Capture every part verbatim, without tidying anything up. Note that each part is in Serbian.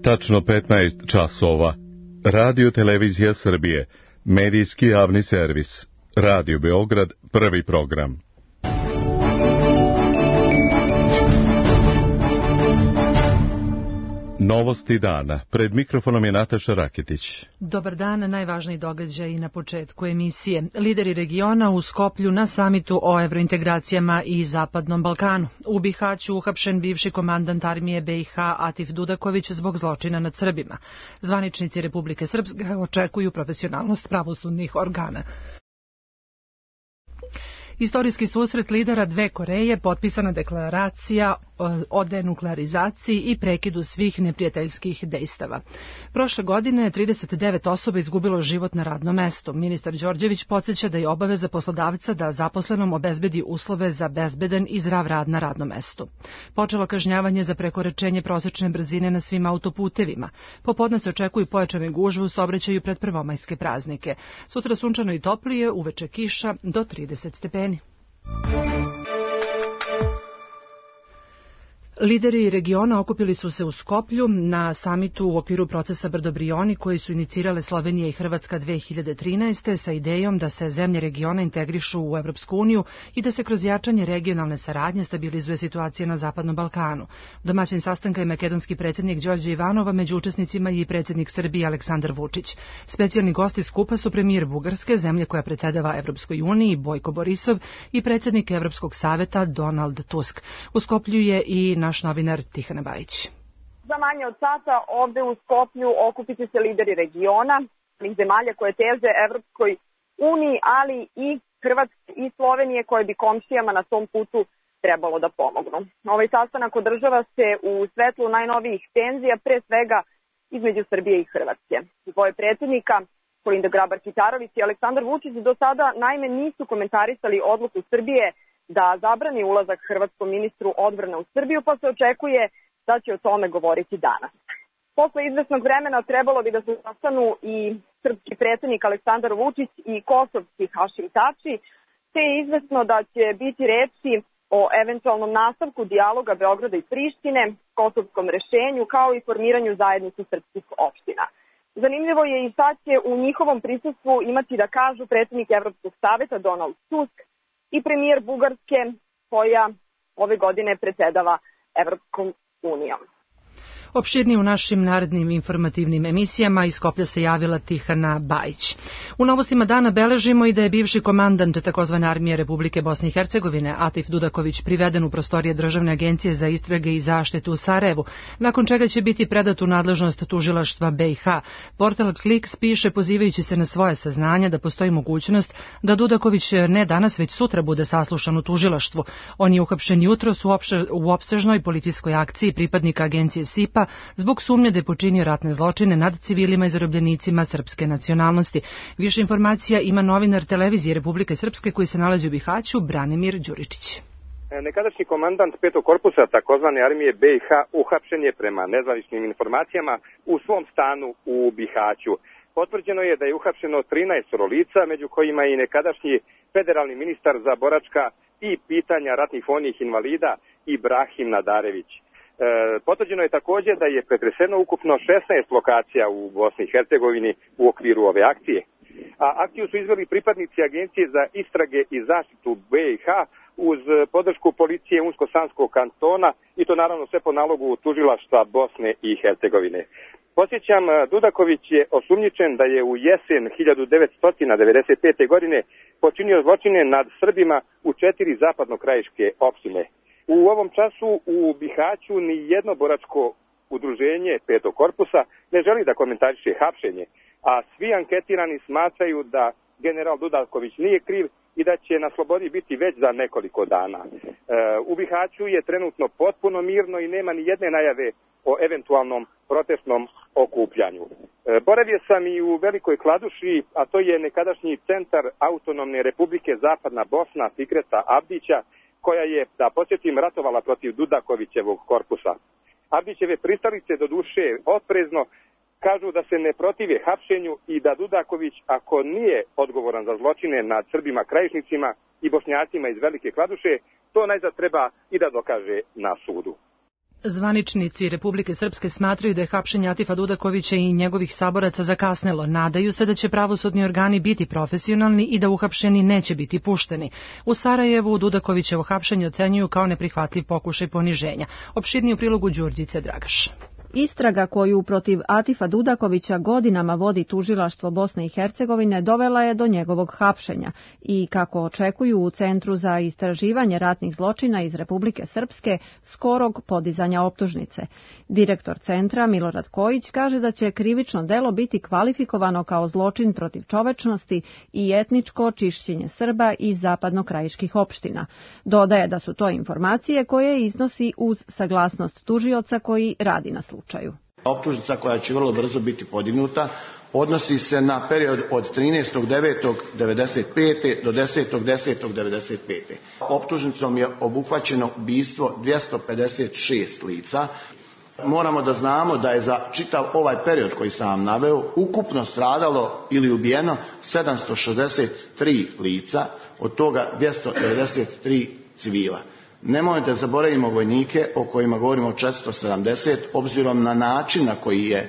Tačno petnaest časova. Radio Televizija Srbije, medijski javni servis. Radio Beograd, prvi program. Novosti dana. Pred mikrofonom je Nataša Raketić. Dobar dan, najvažniji događaj na početku emisije. Lideri regiona u Skoplju na samitu o evrointegracijama i Zapadnom Balkanu. U Bihaću uhapšen bivši komandant armije B i H Atif Dudaković zbog zločina nad Srbima. Zvaničnici Republike Srpske očekuju profesionalnost pravosudnih organa. Istorijski susret lidera dve Koreje, potpisana deklaracija o denuklearizaciji i prekidu svih neprijateljskih dejstava. Prošle godine trideset devet osoba izgubilo život na radnom mestu. Ministar Đorđević podsjeća da je obaveza poslodavca da zaposlenom obezbedi uslove za bezbedan i zdrav rad na radnom mestu. Počelo kažnjavanje za prekoračenje prosečne brzine na svim autoputevima. Popodne se očekuju pojačane gužve u saobraćaju pred prvomajske praznike. Sutra sunčano i toplije, uveče kiša do trideset stepeni. Lideri regiona okupili su se u Skoplju na samitu u okviru procesa Brdo-Brioni koji su inicirale Slovenija i Hrvatska dve hiljade trinaeste. sa idejom da se zemlje regiona integrišu u Evropsku uniju i da se kroz jačanje regionalne saradnje stabilizuje situacija na Zapadnom Balkanu. Domaćin sastanka je makedonski predsjednik Đorđe Ivanova, među učesnicima i predsjednik Srbije Aleksandar Vučić. Specijalni gosti skupa su premijer Bugarske, zemlje koja predsedava Evropskoj uniji, Bojko Borisov, i predsjednik Evropskog saveta Donald Tusk. U Skoplju je i naš novinar Tihana Bajić. Za manje od sata ovde u Skoplju okupit će se lideri regiona, zemalja koje teže Evropskoj uniji, ali i Hrvatske i Slovenije koje bi komšijama na tom putu trebalo da pomognu. Ovaj sastanak održava se u svetlu najnovijih tenzija, pre svega između Srbije i Hrvatske. Dvoje predsjednika, Kolinda Grabar-Kitarović i Aleksandar Vučić, do sada naime nisu komentarisali odluku Srbije da zabrani ulazak hrvatskom ministru odbrane u Srbiju, pa se očekuje da će o tome govoriti danas. Posle izvesnog vremena trebalo bi da se sastanu i srpski predsjednik Aleksandar Vučić i kosovski Hašim Tači, te je izvesno da će biti reči o eventualnom nastavku dijaloga Beograda i Prištine, kosovskom rešenju, kao i formiranju zajednice srpskih opština. Zanimljivo je i šta će u njihovom prisustvu imati da kažu predsjednik Evropskog saveta Donald Tusk i premijer Bugarske, koja ove godine predsedava Evropskom unijom. Opširnije u našim narednim informativnim emisijama. Iz Skoplja se javila Tihana Bajić. U novostima dana beležimo i da je bivši komandant takozvane armije Republike Bosne i Hercegovine Atif Dudaković priveden u prostorije Državne agencije za istrage i zaštitu u Sarajevu, nakon čega će biti predat u nadležnost tužilaštva B i H. Portal Kliks piše, pozivajući se na svoje saznanja, da postoji mogućnost da Dudaković ne danas već sutra bude saslušan u tužilaštvu. On je uhapšen jutros u, opše, u opsežnoj policijskoj akciji pripadnika agencije SIPA zbog sumnje da je počinio ratne zločine nad civilima i zarobljenicima srpske nacionalnosti. Više informacija ima novinar Televizije Republike Srpske koji se nalazi u Bihaću, Branimir Đuričić. Nekadašnji komandant petog korpusa takozvane armije B i H uhapšen je prema nezvaničnim informacijama u svom stanu u Bihaću. Potvrđeno je da je uhapšeno trinaest lica, među kojima i nekadašnji federalni ministar za boračka i pitanja ratnih vojnih invalida Ibrahim Nadarević. E, potvrđeno je također da je pretreseno ukupno šesnaest lokacija u Bosni i Hercegovini u okviru ove akcije. A akciju su izveli pripadnici Agencije za istrage i zaštitu B i H uz podršku policije Unsko-Sanskog kantona i to naravno sve po nalogu tužilaštva Bosne i Hercegovine. Podsjećam, Dudaković je osumnjičen da je u jesen hiljadu devetsto devedeset pete. godine počinio zločine nad Srbima u četiri zapadnokrajiške opštine. U ovom času u Bihaću ni jedno boračko udruženje petog korpusa ne želi da komentariše hapšenje, a svi anketirani smatraju da general Dudaković nije kriv i da će na slobodi biti već za nekoliko dana. E, u Bihaću je trenutno potpuno mirno i nema ni jedne najave o eventualnom protestnom okupljanju. E, boravio sam i u Velikoj Kladuši, a to je nekadašnji centar autonomne republike Zapadna Bosna Fikreta Abdića, koja je, da podsjetim, ratovala protiv Dudakovićevog korpusa. Abdićeve pristalice do duše oprezno kažu da se ne protive hapšenju i da Dudaković, ako nije odgovoran za zločine nad Srbima krajišnicima i Bošnjacima iz Velike Kladuše, to najzad treba i da dokaže na sudu. Zvaničnici Republike Srpske smatraju da je hapšenje Atifa Dudakovića i njegovih saboraca zakasnelo. Nadaju se da će pravosudni organi biti profesionalni i da uhapšeni neće biti pušteni. U Sarajevu Dudakovićevo hapšenje ocenjuju kao neprihvatljiv pokušaj poniženja. Opširniji u prilogu Đurđice Dragaš. Istraga koju protiv Atifa Dudakovića godinama vodi tužilaštvo Bosne i Hercegovine dovela je do njegovog hapšenja i, kako očekuju u Centru za istraživanje ratnih zločina iz Republike Srpske, skorog podizanja optužnice. Direktor centra Milorad Kojić kaže da će krivično delo biti kvalifikovano kao zločin protiv čovečnosti i etničko čišćenje Srba iz zapadnokrajiških opština. Dodaje da su to informacije koje iznosi uz saglasnost tužioca koji radi na slučaju. Optužnica koja će vrlo brzo biti podignuta odnosi se na period od trinaestog devetog devedeset pete do desetog desetog devedeset pete. Optužnicom je obuhvaćeno ubistvo dvjesto pedeset šest lica. Moramo da znamo da je za čitav ovaj period koji sam vam naveo ukupno stradalo ili ubijeno sedamsto šezdeset tri lica, od toga dvjesto devedeset tri civila. Nemojte da zaboravimo vojnike o kojima govorimo četiristo sedamdeset, obzirom na način na koji je e,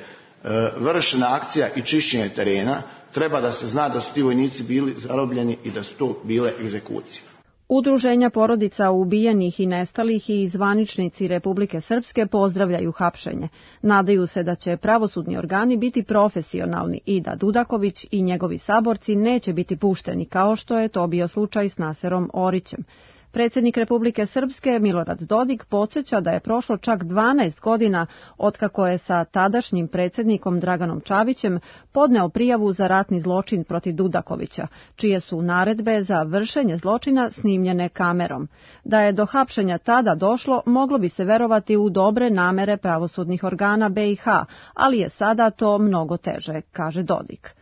vršena akcija i čišćenje terena, treba da se zna da su ti vojnici bili zarobljeni i da su to bile egzekucije. Udruženja porodica ubijenih i nestalih i zvaničnici Republike Srpske pozdravljaju hapšenje. Nadaju se da će pravosudni organi biti profesionalni i da Dudaković i njegovi saborci neće biti pušteni, kao što je to bio slučaj s Naserom Orićem. Predsjednik Republike Srpske Milorad Dodik podsjeća da je prošlo čak dvanaest godina otkako je sa tadašnjim predsjednikom Draganom Čavićem podneo prijavu za ratni zločin protiv Dudakovića, čije su naredbe za vršenje zločina snimljene kamerom. Da je do hapšenja tada došlo, moglo bi se verovati u dobre namere pravosudnih organa B i H, ali je sada to mnogo teže, kaže Dodik.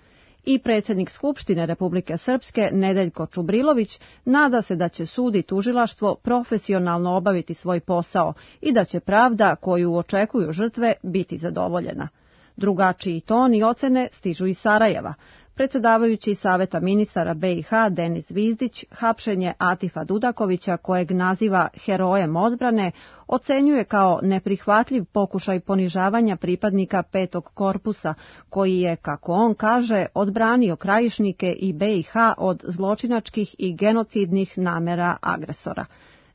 I predsjednik Skupštine Republike Srpske Nedeljko Čubrilović nada se da će sud i tužilaštvo profesionalno obaviti svoj posao i da će pravda koju očekuju žrtve biti zadovoljena. Drugačiji ton i ocene stižu iz Sarajeva. Predsjedavajući Saveta ministara B i H Denis Zvizdić hapšenje Atifa Dudakovića, kojeg naziva herojem odbrane, ocenjuje kao neprihvatljiv pokušaj ponižavanja pripadnika petog korpusa, koji je, kako on kaže, odbranio krajišnike i B i H od zločinačkih i genocidnih namera agresora.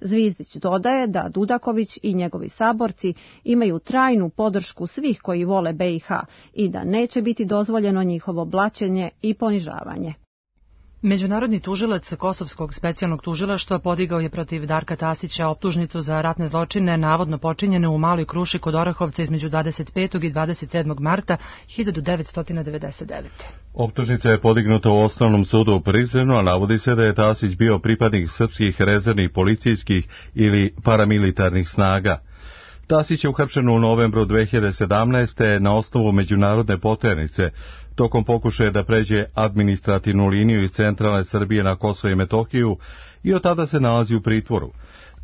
Zvizdić dodaje da Dudaković i njegovi saborci imaju trajnu podršku svih koji vole B i H i da neće biti dozvoljeno njihovo blaćenje i ponižavanje. Međunarodni tužilac Kosovskog specijalnog tužilaštva podigao je protiv Darka Tasića optužnicu za ratne zločine navodno počinjene u Maloj Kruši kod Orahovca između dvadeset petog i dvadeset sedmog marta hiljadu devetsto devedeset devete. Optužnica je podignuta u Osnovnom sudu u Prizrenu, a navodi se da je Tasić bio pripadnik srpskih rezervnih policijskih ili paramilitarnih snaga. Tasić je uhapšen u novembru dve hiljade sedamnaeste. na osnovu međunarodne poternice, tokom pokušaja da pređe administrativnu liniju iz centralne Srbije na Kosovo i Metohiju i od tada se nalazi u pritvoru.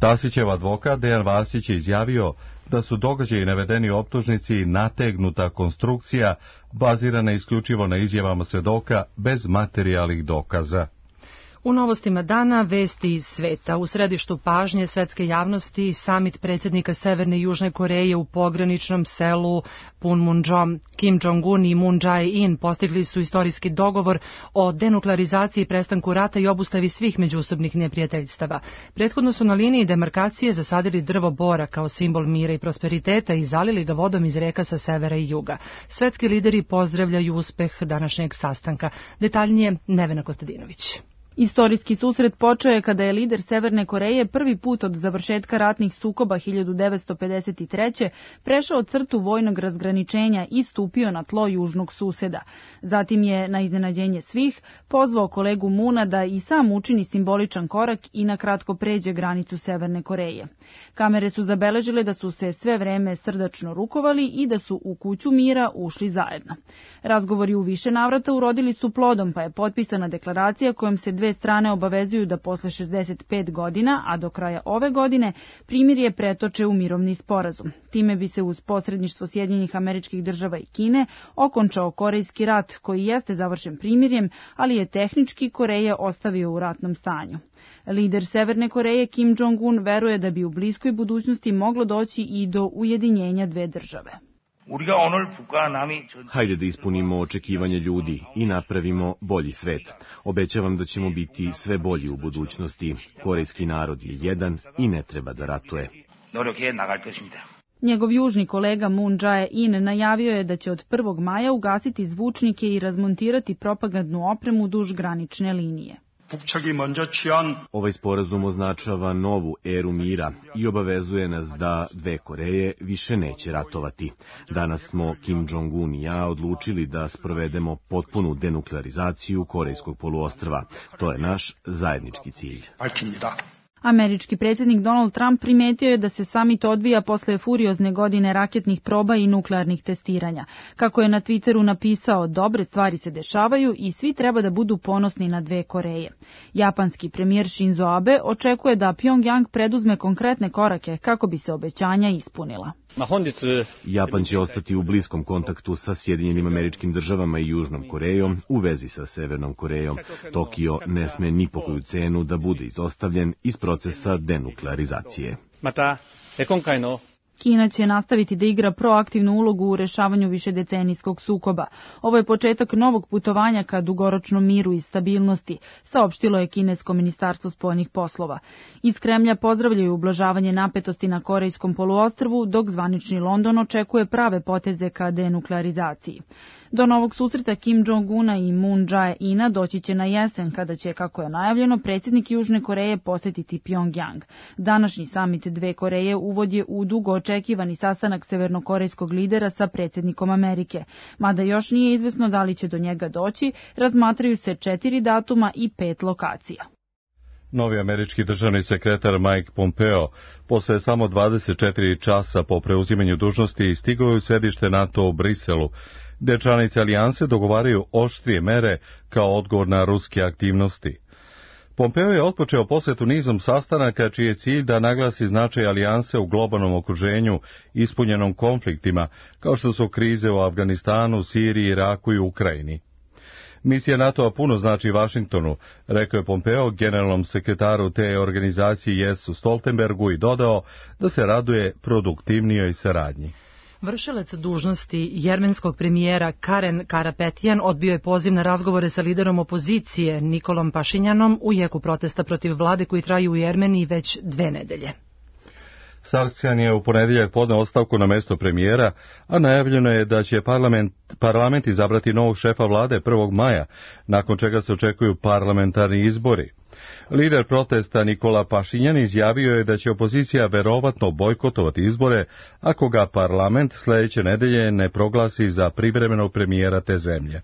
Tasićev advokat Dejan Vasić je izjavio da su događaji navedeni u optužnici nategnuta konstrukcija bazirana isključivo na izjavama svedoka bez materijalnih dokaza. U novostima dana vesti iz sveta. U središtu pažnje svetske javnosti samit predsjednika Severne i Južne Koreje u pograničnom selu Punmunjom. Kim Jong-un i Moon Jae-in postigli su istorijski dogovor o denuklearizaciji, prestanku rata i obustavi svih međusobnih neprijateljstava. Prethodno su na liniji demarkacije zasadili drvo bora kao simbol mira i prosperiteta i zalili ga vodom iz reka sa severa i juga. Svetski lideri pozdravljaju uspeh današnjeg sastanka. Detaljnije Nevena Kostadinović. Istorijski susret počeo je kada je lider Severne Koreje prvi put od završetka ratnih sukoba hiljadu devetsto pedeset treće. prešao crtu vojnog razgraničenja i stupio na tlo južnog suseda. Zatim je, na iznenađenje svih, pozvao kolegu Moona da i sam učini simboličan korak i na kratko pređe granicu Severne Koreje. Kamere su zabeležile da su se sve vreme srdačno rukovali i da su u kuću mira ušli zajedno. Razgovori u više navrata urodili su plodom, pa je potpisana deklaracija kojom se dve dve strane obavezuju da posle šezdeset pet godina, a do kraja ove godine, primirje pretoče u mirovni sporazum. Time bi se uz posredništvo Sjedinjenih Američkih Država i Kine okončao Korejski rat, koji jeste završen primirjem, ali je tehnički Koreje ostavio u ratnom stanju. Lider Severne Koreje Kim Jong-un veruje da bi u bliskoj budućnosti moglo doći i do ujedinjenja dve države. Hajde da ispunimo očekivanje ljudi i napravimo bolji svet. Obećavam da ćemo biti sve bolji u budućnosti. Korejski narod je jedan i ne treba da ratuje. Njegov južni kolega Moon Jae-in najavio je da će od prvog maja ugasiti zvučnike i razmontirati propagandnu opremu duž granične linije. Ovaj sporazum označava novu eru mira i obavezuje nas da dve Koreje više neće ratovati. Danas smo Kim Jong-un i ja odlučili da sprovedemo potpunu denuklearizaciju Korejskog poluostrva. To je naš zajednički cilj. Američki predsjednik Donald Trump primetio je da se samit odvija posle furiozne godine raketnih proba i nuklearnih testiranja. Kako je na Twitteru napisao, dobre stvari se dešavaju i svi treba da budu ponosni na dve Koreje. Japanski premijer Shinzo Abe očekuje da Pyongyang preduzme konkretne korake kako bi se obećanja ispunila. Japan će ostati u bliskom kontaktu sa Sjedinjenim Američkim Državama i Južnom Korejom u vezi sa Severnom Korejom. Tokio ne sme ni po koju cenu da bude izostavljen iz procesa denuklearizacije. Kina će nastaviti da igra proaktivnu ulogu u rešavanju višedecenijskog sukoba. Ovo je početak novog putovanja ka dugoročnom miru i stabilnosti, saopštilo je kinesko ministarstvo spoljnih poslova. Iz Kremlja pozdravljaju ublažavanje napetosti na Korejskom poluostrvu, dok zvanični London očekuje prave poteze ka denuklearizaciji. Do novog susreta Kim Jong-una i Moon Jae-ina doći će na jesen, kada će, kako je najavljeno, predsjednik Južne Koreje posetiti Pyongyang. Današnji samit dve Koreje uvod je u dugo očekivani sastanak severnokorejskog lidera sa predsjednikom Amerike. Mada još nije izvesno da li će do njega doći, razmatraju se četiri datuma i pet lokacija. Novi američki državni sekretar Mike Pompeo posle samo dvadeset četiri časa po preuzimanju dužnosti stigao je u sedište NATO u Briselu, gde članice alijanse dogovaraju oštrije mere kao odgovor na ruske aktivnosti. Pompeo je otpočeo posetu nizom sastanaka čiji je cilj da naglasi značaj alijanse u globalnom okruženju ispunjenom konfliktima, kao što su krize u Afganistanu, Siriji, Iraku i Ukrajini. Misija NATO-a puno znači Vašingtonu, rekao je Pompeo generalnom sekretaru te organizacije Jensu Stoltenbergu i dodao da se raduje produktivnijoj saradnji. Vršilac dužnosti jermenskog premijera Karen Karapetjan odbio je poziv na razgovore sa liderom opozicije Nikolom Pašinjanom u jeku protesta protiv vlade koji traju u Jermeniji već dve nedelje. Sargsjan je u ponedjeljak podneo ostavku na mesto premijera, a najavljeno je da će parlament, parlament izabrati novog šefa vlade prvog maja, nakon čega se očekuju parlamentarni izbori. Lider protesta Nikola Pašinjan izjavio je da će opozicija verovatno bojkotovati izbore ako ga parlament sljedeće nedelje ne proglasi za privremenog premijera te zemlje.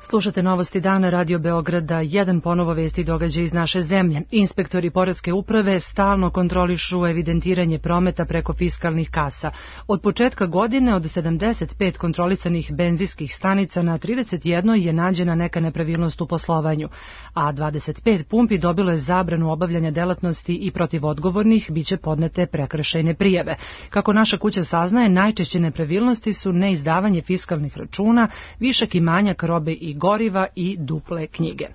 Slušate novosti dana Radio Beograda, jedan ponovo vesti događaja iz naše zemlje. Inspektori poreske uprave stalno kontrolišu evidentiranje prometa preko fiskalnih kasa. Od početka godine od sedamdeset pet kontrolisanih benzinskih stanica na trideset jedno je nađena neka nepravilnost u poslovanju, a dvadeset pet pumpi dobilo je zabranu obavljanja delatnosti i protiv odgovornih biće podnete prekršajne prijave. Kako naša kuća saznaje, najčešće nepravilnosti su neizdavanje fiskalnih računa, višak i manjak robe i goriva i duple knjige.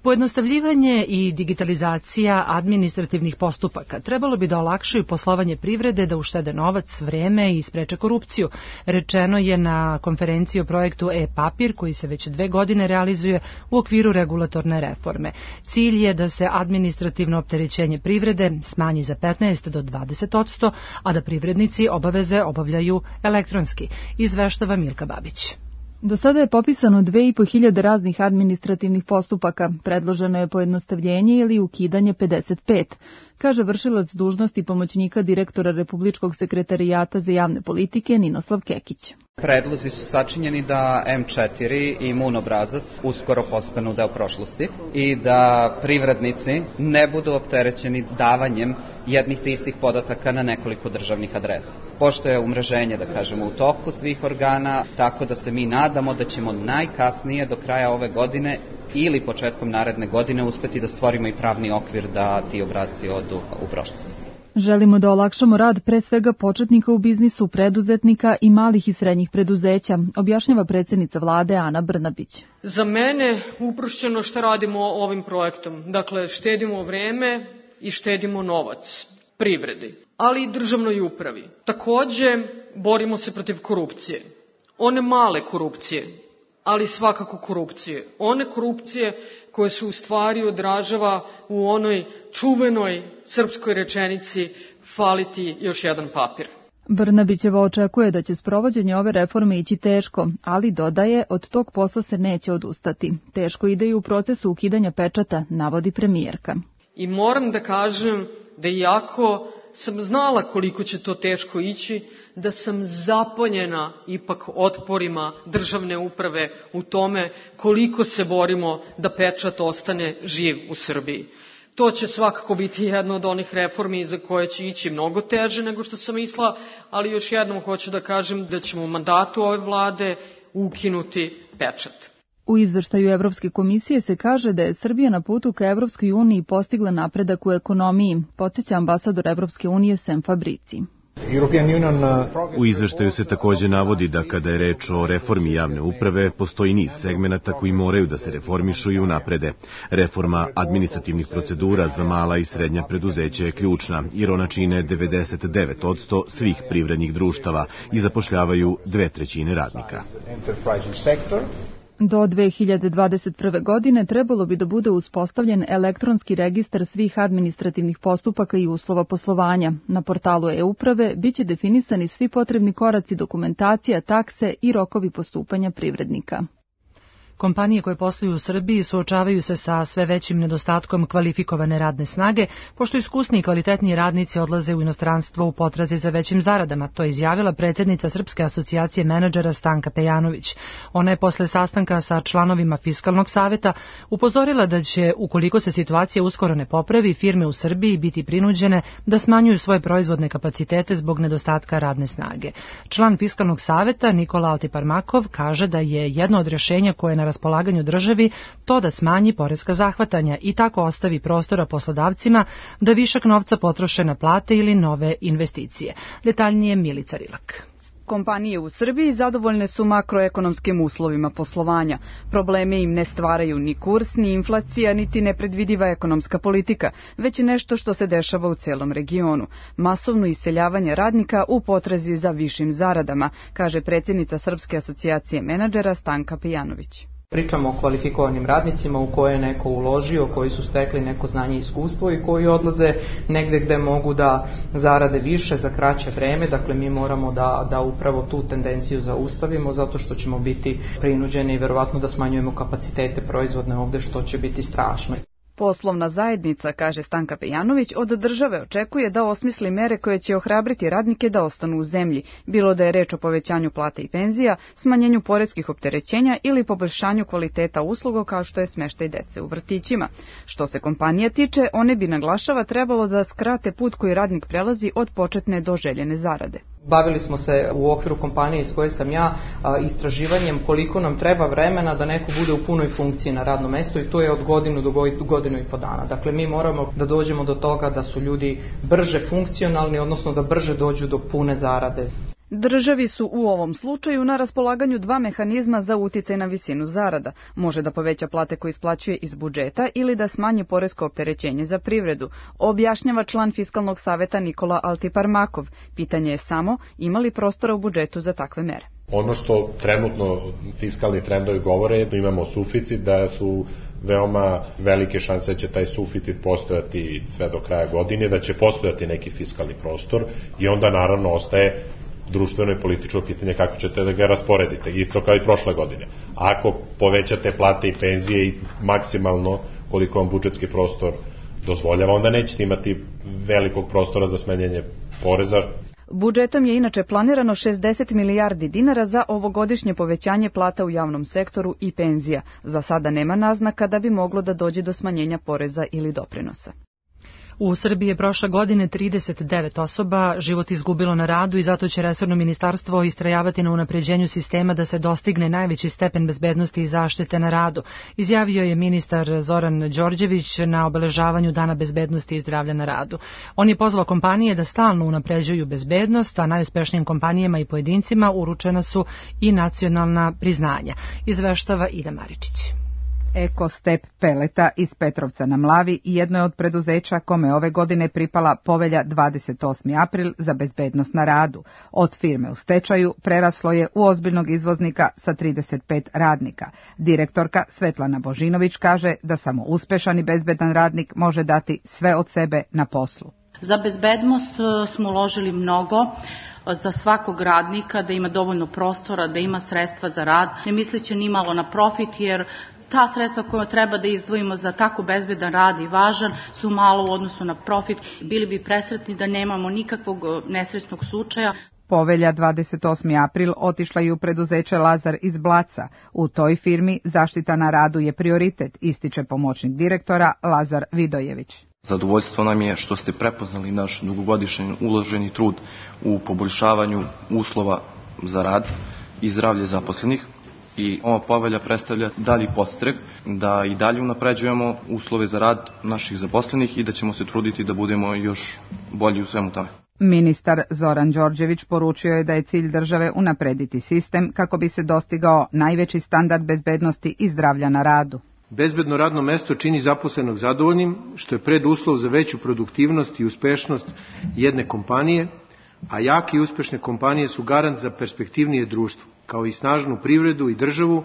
Pojednostavljivanje i digitalizacija administrativnih postupaka trebalo bi da olakšaju poslovanje privrede, da uštede novac, vreme i spreče korupciju. Rečeno je na konferenciji o projektu e-papir koji se već dve godine realizuje u okviru regulatorne reforme. Cilj je da se administrativno opterećenje privrede smanji za petnaest do dvadeset posto, a da privrednici obaveze obavljaju elektronski, izveštava Milka Babić. Do sada je popisano dve i po hiljade raznih administrativnih postupaka, predloženo je pojednostavljenje ili ukidanje pedeset pet, kaže vršilac dužnosti pomoćnika direktora Republičkog sekretarijata za javne politike Ninoslav Kekić. Predlozi su sačinjeni da em četiri i imun obrazac uskoro postanu deo prošlosti i da privrednici ne budu opterećeni davanjem jednih te istih podataka na nekoliko državnih adresa. pošto je umreženje, da kažemo, u toku svih organa, tako da se mi nadamo da ćemo najkasnije do kraja ove godine ili početkom naredne godine uspeti da stvorimo i pravni okvir da ti obrasci odu u prošlost. Želimo da olakšamo rad pre svega početnika u biznisu, preduzetnika i malih i srednjih preduzeća, objašnjava predsjednica vlade Ana Brnabić. Za mene uprošćeno šta radimo ovim projektom. Dakle, štedimo vreme i štedimo novac privredi, ali i državnoj upravi. Takođe, borimo se protiv korupcije. One male korupcije, ali svakako korupcije. One korupcije koje se u stvari odražava u onoj čuvenoj srpskoj rečenici faliti još jedan papir. Brnabićeva očekuje da će sprovođenje ove reforme ići teško, ali dodaje od tog posla se neće odustati. Teško ide i u procesu ukidanja pečata, navodi premijerka. I moram da kažem da iako sam znala koliko će to teško ići, da sam zapanjena ipak otporima državne uprave u tome koliko se borimo da pečat ostane živ u Srbiji. To će svakako biti jedna od onih reformi za koje će ići mnogo teže nego što sam mislila, ali još jednom hoću da kažem da ćemo u mandatu ove vlade ukinuti pečat. U izveštaju Evropske komisije se kaže da je Srbija na putu ka Evropskoj uniji postigla napredak u ekonomiji, podsjeća ambasador Evropske unije Sem Fabrici. U izveštaju se takođe navodi da kada je reč o reformi javne uprave, postoji niz segmenata koji moraju da se reformišu i unaprede. Reforma administrativnih procedura za mala i srednja preduzeća je ključna, jer ona čine devedeset devet posto svih privrednih društava i zapošljavaju dve trećine radnika. Do dve hiljade dvadeset prve. godine trebalo bi da bude uspostavljen elektronski registar svih administrativnih postupaka i uslova poslovanja. Na portalu e-uprave biće definisani svi potrebni koraci, dokumentacija, takse i rokovi postupanja privrednika. Kompanije koje posluju u Srbiji suočavaju se sa sve većim nedostatkom kvalifikovane radne snage, pošto iskusni i kvalitetniji radnici odlaze u inostranstvo u potrazi za većim zaradama, to je izjavila predsjednica Srpske asocijacije menadžera Stanka Pejanović. Ona je posle sastanka sa članovima Fiskalnog saveta upozorila da će, ukoliko se situacija uskoro ne popravi, firme u Srbiji biti prinuđene da smanjuju svoje proizvodne kapacitete zbog nedostatka radne snage. Član Fiskalnog saveta Nikola Altiparmakov kaže da je jedno od rješenja koje je na raspolaganju državi to da smanji poreska zahvatanja i tako ostavi prostora poslodavcima da višak novca potroše na plate ili nove investicije. Detaljnije Milica Rilak. Kompanije u Srbiji zadovoljne su makroekonomskim uslovima poslovanja. Probleme im ne stvaraju ni kurs, ni inflacija, niti nepredvidiva ekonomska politika, već nešto što se dešava u celom regionu. Masovno iseljavanje radnika u potrazi za višim zaradama, kaže predsjednica Srpske asocijacije menadžera Stanka Pejanović. Pričamo o kvalifikovanim radnicima u koje je neko uložio, koji su stekli neko znanje i iskustvo i koji odlaze negde gde mogu da zarade više za kraće vreme. Dakle, mi moramo da, da upravo tu tendenciju zaustavimo zato što ćemo biti prinuđeni i verovatno da smanjujemo kapacitete proizvodne ovde, što će biti strašno. Poslovna zajednica, kaže Stanka Pejanović, od države očekuje da osmisli mere koje će ohrabriti radnike da ostanu u zemlji, bilo da je reč o povećanju plata i penzija, smanjenju poreskih opterećenja ili poboljšanju kvaliteta usluga kao što je smeštaj dece u vrtićima. Što se kompanija tiče, one bi, naglašava, trebalo da skrate put koji radnik prelazi od početne do željene zarade. Bavili smo se u okviru kompanije iz koje sam ja istraživanjem koliko nam treba vremena da neko bude u punoj funkciji na radnom mestu i to je od godinu do godinu i po dana. Dakle, mi moramo da dođemo do toga da su ljudi brže funkcionalni, odnosno da brže dođu do pune zarade. Državi su u ovom slučaju na raspolaganju dva mehanizma za uticaj na visinu zarada. Može da poveća plate koje isplaćuje iz budžeta ili da smanji poresko opterećenje za privredu, objašnjava član Fiskalnog saveta Nikola Altiparmakov. Pitanje je samo ima li prostora u budžetu za takve mere. Ono što trenutno fiskalni trendovi govore je da imamo suficit, da su veoma velike šanse da će taj suficit postojati sve do kraja godine, da će postojati neki fiskalni prostor i onda naravno ostaje društveno i političko pitanje kako ćete da ga rasporedite, isto kao i prošle godine. Ako povećate plate i penzije i maksimalno koliko vam budžetski prostor dozvoljava, onda nećete imati velikog prostora za smanjenje poreza. Budžetom je inače planirano šezdeset milijardi dinara za ovogodišnje povećanje plata u javnom sektoru i penzija. Za sada nema naznaka da bi moglo da dođe do smanjenja poreza ili doprinosa. U Srbiji je prošle godine trideset devet osoba život izgubilo na radu i zato će resorno ministarstvo istrajavati na unapređenju sistema da se dostigne najveći stepen bezbednosti i zaštite na radu, izjavio je ministar Zoran Đorđević na obeležavanju Dana bezbednosti i zdravlja na radu. On je pozvao kompanije da stalno unapređuju bezbednost, a najuspešnijim kompanijama i pojedincima uručena su i nacionalna priznanja, izveštava Ida Maričić. Ekostep Peleta iz Petrovca na Mlavi jedno je od preduzeća kome ove godine pripala povelja dvadeset osmi april za bezbednost na radu. Od firme u stečaju preraslo je u ozbiljnog izvoznika sa trideset pet radnika. Direktorka Svetlana Božinović kaže da samo uspešan i bezbedan radnik može dati sve od sebe na poslu. Za bezbednost smo uložili mnogo, za svakog radnika da ima dovoljno prostora, da ima sredstva za rad, ne misleći ni malo na profit, jer ta sredstva koja treba da izdvojimo za tako bezbedan rad i važan su malo u odnosu na profit. Bili bi presretni da nemamo nikakvog nesrećnog slučaja. Povelja dvadeset osmi april otišla i u preduzeće Lazar iz Blaca. U toj firmi zaštita na radu je prioritet, ističe pomoćnik direktora Lazar Vidojević. Zadovoljstvo nam je što ste prepoznali naš dugogodišnji uloženi trud u poboljšavanju uslova za rad i zdravlje zaposlenih. I ova povelja predstavlja dalji podstrek da i dalje unapređujemo uslove za rad naših zaposlenih i da ćemo se truditi da budemo još bolji u svemu tome. Ministar Zoran Đorđević poručio je da je cilj države unaprediti sistem kako bi se dostigao najveći standard bezbednosti i zdravlja na radu. Bezbedno radno mesto čini zaposlenog zadovoljnim, što je preduslov za veću produktivnost i uspešnost jedne kompanije, a jake i uspešne kompanije su garant za perspektivnije društvo, kao i snažnu privredu i državu,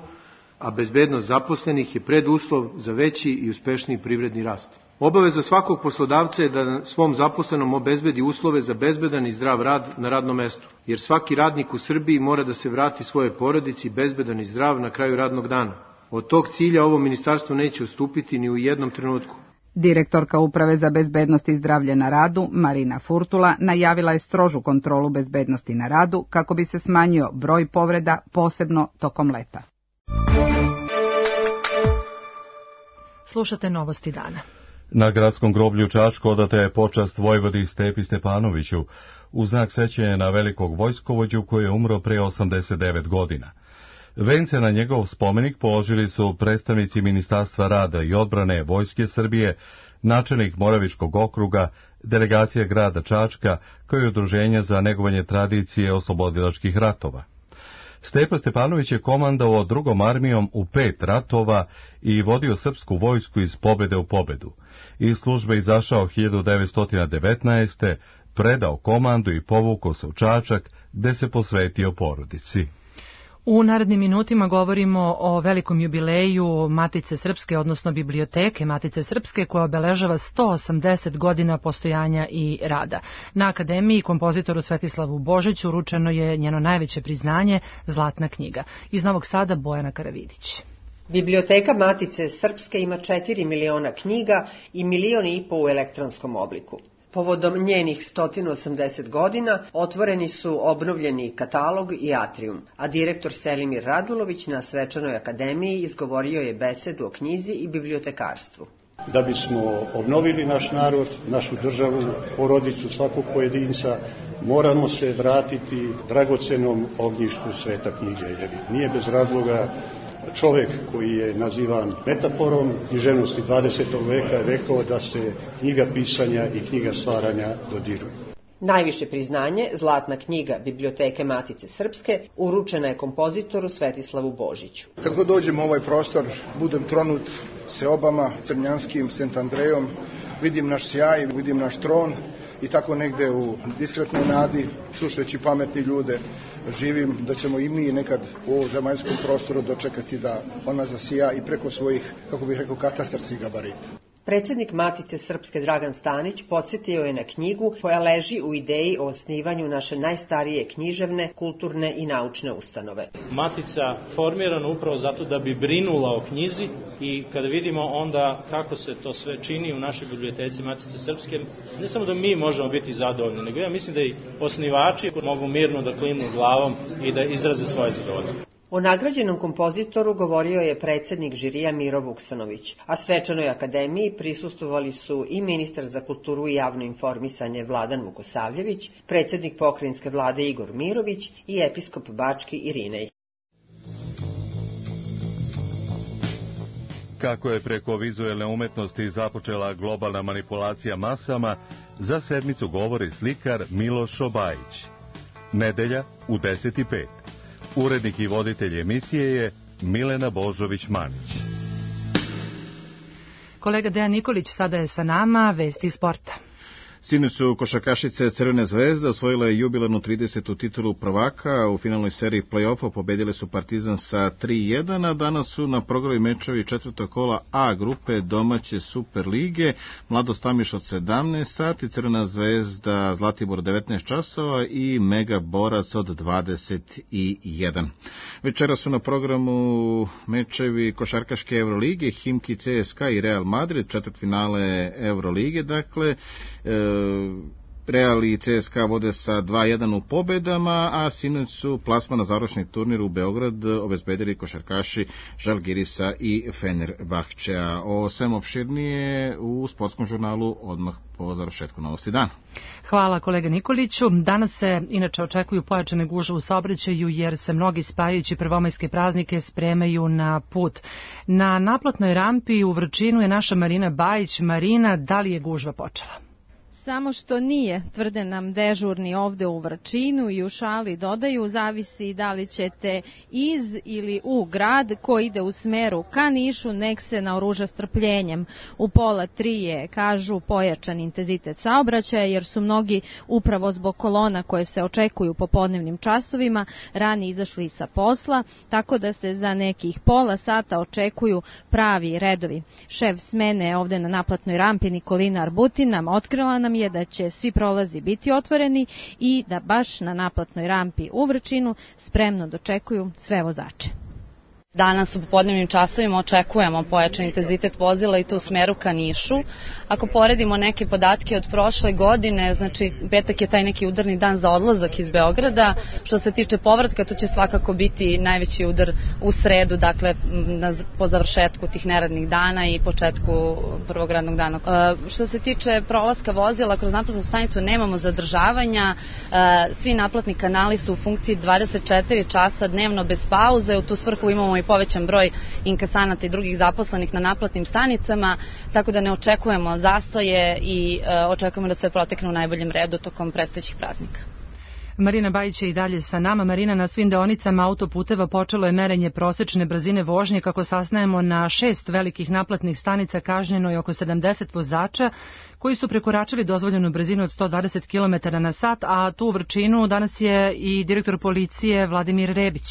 a bezbednost zaposlenih je preduslov za veći i uspešniji privredni rast. Obaveza svakog poslodavca je da svom zaposlenom obezbedi uslove za bezbedan i zdrav rad na radnom mestu, jer svaki radnik u Srbiji mora da se vrati svojoj porodici bezbedan i zdrav na kraju radnog dana. Od tog cilja ovo ministarstvo neće ustupiti ni u jednom trenutku. Direktorka Uprave za bezbednost i zdravlje na radu, Marina Furtula, najavila je strožu kontrolu bezbednosti na radu kako bi se smanjio broj povreda, posebno tokom leta. Slušate novosti dana. Na gradskom groblju Čačko odata je počast vojvodi Stepi Stepanoviću u znak sećanja na velikog vojskovođu koji je umro pre osamdeset devet godina. Vence na njegov spomenik položili su predstavnici Ministarstva rada i odbrane Vojske Srbije, načelnik Moravičkog okruga, delegacija grada Čačka, kao i udruženja za negovanje tradicije oslobodilačkih ratova. Stepa Stepanović je komandovao drugom armijom u pet ratova i vodio srpsku vojsku iz pobede u pobedu. Iz službe izašao hiljadu devetsto devetnaeste. predao komandu i povukao se u Čačak, gde se posvetio porodici. U narednim minutima govorimo o velikom jubileju Matice Srpske, odnosno biblioteke Matice Srpske, koja obeležava sto osamdeset godina postojanja i rada. Na akademiji kompozitoru Svetislavu Božiću uručeno je njeno najveće priznanje, Zlatna knjiga. Iz Novog Sada Bojana Karavidić. Biblioteka Matice Srpske ima četiri miliona knjiga i milion i po u elektronskom obliku. Povodom njenih sto osamdeset godina otvoreni su obnovljeni katalog i atrijum, a direktor Selimir Radulović na Svečanoj akademiji izgovorio je besedu o knjizi i bibliotekarstvu. Da bismo obnovili naš narod, našu državu, porodicu svakog pojedinca, moramo se vratiti dragocenom ognjištu sveta knjige, jer nije bez razloga čovek koji je nazivan metaforom književnosti dvadesetog veka je rekao da se knjiga pisanja i knjiga stvaranja dodiruju. Najviše priznanje, Zlatna knjiga Biblioteke Matice Srpske, uručena je kompozitoru Svetislavu Božiću. Kad god dođem u ovaj prostor, budem tronut seobama, Crnjanskim, Sent Andrejom, vidim naš sjaj, vidim naš tron i tako negde u diskretnoj nadi, slušajući pametni ljude, živim da ćemo i mi nekad u ovom zemaljskom prostoru dočekati da ona zasija i preko svojih, kako bih rekao, katastarskih gabarita. Predsednik Matice Srpske Dragan Stanić podsjetio je na knjigu koja leži u ideji o osnivanju naše najstarije književne, kulturne i naučne ustanove. Matica formirana upravo zato da bi brinula o knjizi i kada vidimo onda kako se to sve čini u našoj biblioteci Matice Srpske, ne samo da mi možemo biti zadovoljni, nego ja mislim da i osnivači mogu mirno da klimnu glavom i da izraze svoje zadovoljstvo. O nagrađenom kompozitoru govorio je predsednik žirija Miro Vuksanović, a svečanoj akademiji prisustvovali su i ministar za kulturu i javno informisanje Vladan Vukosavljević, predsednik pokrajinske vlade Igor Mirović i episkop Bački Irinej. Kako je preko vizuelne umetnosti započela globalna manipulacija masama, za sedmicu govori slikar Miloš Obajić. Nedelja u deset i pet. Urednik i voditelj emisije je Milena Božović-Manić. Kolega Dejan Nikolić sada je sa nama, vesti sporta. Sinoć su košarkašice Crvene zvezde osvojile jubilarnu tridesetu titulu prvaka. U finalnoj seriji play-offa pobedile su Partizan sa tri jedan, a danas su na programu mečevi četvrtog kola A grupe domaće Super lige. Mladost Amiš od sedamnaest sati, Crvena zvezda Zlatibor devetnaest časova i Mega Borac od dvadeset jedan. Večera su na programu mečevi košarkaške Evrolige, Himki C S K A i Real Madrid, četvrtfinale Evrolige, dakle, e, Real i C S K A vode sa dva jedan u pobedama, a sinoć su plasman na završni turnir u Beograd obezbedili košarkaši Žalgirisa i Fenerbahčea. O svem opširnije u sportskom žurnalu odmah po završetku Novosti dana. Hvala kolega Nikoliću. Danas se inače očekuju pojačane gužve u saobraćaju jer se mnogi spajajući prvomajske praznike spremaju na put. Na naplatnoj rampi u Vrčinu je naša Marina Bajić. Marina, da li je gužva počela? Samo što nije, tvrde nam dežurni ovde u Vrčinu i u šali dodaju, zavisi da li ćete iz ili u grad koji ide u smeru ka Nišu, nek se naoruža strpljenjem. U pola tri je, kažu, pojačan intenzitet saobraćaja jer su mnogi upravo zbog kolona koje se očekuju po podnevnim časovima rani izašli sa posla, tako da se za nekih pola sata očekuju pravi redovi. Šef smene ovde na naplatnoj rampi Nikolina Arbutin nam otkrila nam je da će svi prolazi biti otvoreni i da baš na naplatnoj rampi u Vrčinu spremno dočekuju sve vozače. Danas u popodnevnim časovima očekujemo pojačan intenzitet vozila i to u smeru ka Nišu. Ako poredimo neke podatke od prošle godine, znači petak je taj neki udarni dan za odlazak iz Beograda. Što se tiče povratka, to će svakako biti najveći udar u sredu, dakle na, po završetku tih neradnih dana i početku prvog radnog dana. E, što se tiče prolaska vozila, kroz naplatnu stanicu nemamo zadržavanja. E, svi naplatni kanali su u funkciji dvadeset četiri časa dnevno bez pauze. U tu svrhu imamo i povećan broj inkasanata i drugih zaposlenih na naplatnim stanicama, tako da ne očekujemo zastoje i e, očekujemo da sve protekne u najboljem redu tokom predstojećih praznika. Marina Bajić je i dalje sa nama. Marina, na svim deonicama autoputeva počelo je merenje prosečne brzine vožnje. Kako saznajemo, na šest velikih naplatnih stanica kažnjeno je oko sedamdeset vozača koji su prekoračili dozvoljenu brzinu od sto dvadeset kilometara na sat, a tu u Vrčinu danas je i direktor policije Vladimir Rebić.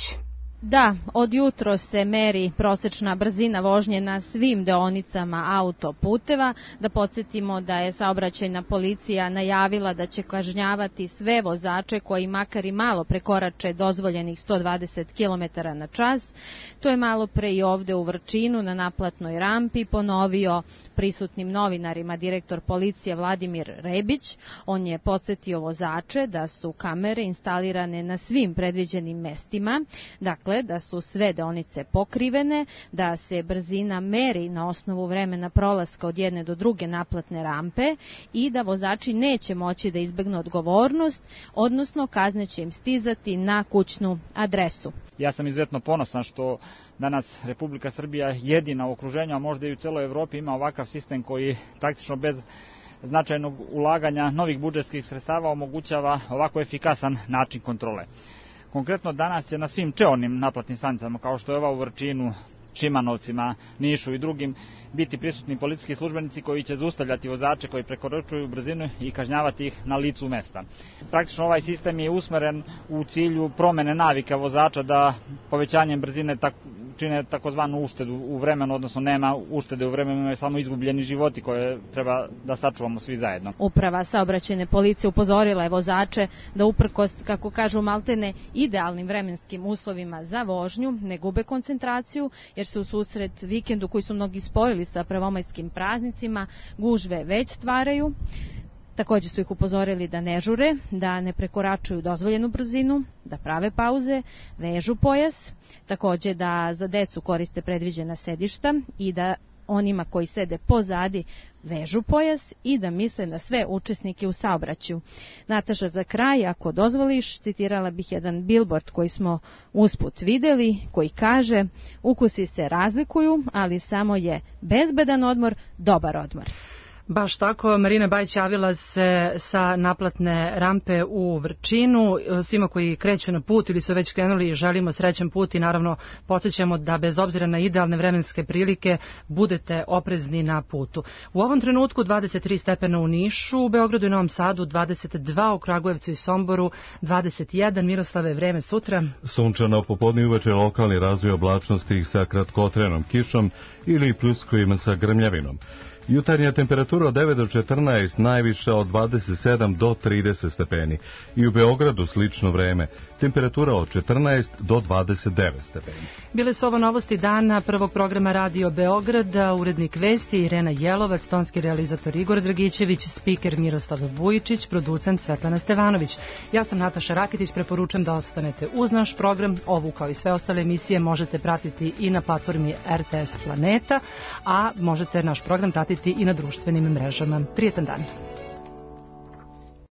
Da, od jutro se meri prosečna brzina vožnje na svim deonicama autoputeva. Da podsjetimo da je saobraćajna policija najavila da će kažnjavati sve vozače koji makar i malo prekorače dozvoljenih sto dvadeset kilometara na čas. To je malo pre i ovde u Vrčinu na naplatnoj rampi ponovio prisutnim novinarima direktor policije Vladimir Rebić. On je podsjetio vozače da su kamere instalirane na svim predviđenim mestima, dakle da su sve deonice pokrivene, da se brzina meri na osnovu vremena prolaska od jedne do druge naplatne rampe i da vozači neće moći da izbegnu odgovornost, odnosno kazne će im stizati na kućnu adresu. Ja sam izuzetno ponosan što danas Republika Srbija jedina u okruženju, a možda i u celoj Evropi ima ovakav sistem koji praktično bez značajnog ulaganja novih budžetskih sredstava omogućava ovako efikasan način kontrole. Konkretno danas je na svim čeornim naplatnim stanicama, kao što je ova u Vrčinu, Šimanovcima, Nišu i drugim, biti prisutni policijski službenici koji će zaustavljati vozače koji prekoračuju brzinu i kažnjavati ih na licu mesta. Praktično ovaj sistem je usmeren u cilju promene navika vozača da povećanjem brzine tak, čine takozvanu uštedu u vremenu, odnosno nema uštede u vremenu, imaju samo izgubljeni životi koje treba da sačuvamo svi zajedno. Uprava saobraćajne policije upozorila je vozače da uprkos, kako kažu maltene, idealnim vremenskim uslovima za vožnju ne gube koncentraciju, jer se u susret vikendu koji su mnogi spojili sa prvomajskim praznicima gužve već stvaraju. Takođe su ih upozorili da ne žure, da ne prekoračuju dozvoljenu brzinu, da prave pauze, vežu pojas, takođe da za decu koriste predviđena sedišta i da onima koji sede pozadi vežu pojas i da misle na sve učesnike u saobraćaju. Nataša, za kraj, ako dozvoliš, citirala bih jedan billboard koji smo usput videli, koji kaže: ukusi se razlikuju, ali samo je bezbedan odmor dobar odmor. Baš tako, Marina Bajić javila se sa naplatne rampe u Vrčinu. Svima koji kreću na put ili su već krenuli želimo srećan put i naravno podsjećamo da bez obzira na idealne vremenske prilike budete oprezni na putu. U ovom trenutku dvadeset tri stepena u Nišu, u Beogradu i Novom Sadu dvadeset dva, u Kragujevcu i Somboru dvadeset jedan. Miroslave, vreme sutra? Sunčano popodne i uveče, lokalni razvoj oblačnosti sa kratkotrenom kišom ili pljuskovima sa grmljavinom. Jutarnja temperatura od devet do četrnaest, najviša od dvadeset sedam do trideset stepeni. I u Beogradu slično vreme, temperatura od četrnaest do dvadeset devet stepeni. Bile su ovo novosti dana prvog programa Radio Beograda, urednik vesti Irena Jelovac, tonski realizator Igor Dragićević, spiker Miroslav Vujičić, producent Svetlana Stevanović. Ja sam Nataša Rakitić, preporučujem da ostanete uz naš program. Ovu kao i sve ostale emisije možete pratiti i na platformi R T S Planeta, a možete naš program pratiti i na društvenim mrežama. Prijetan dan.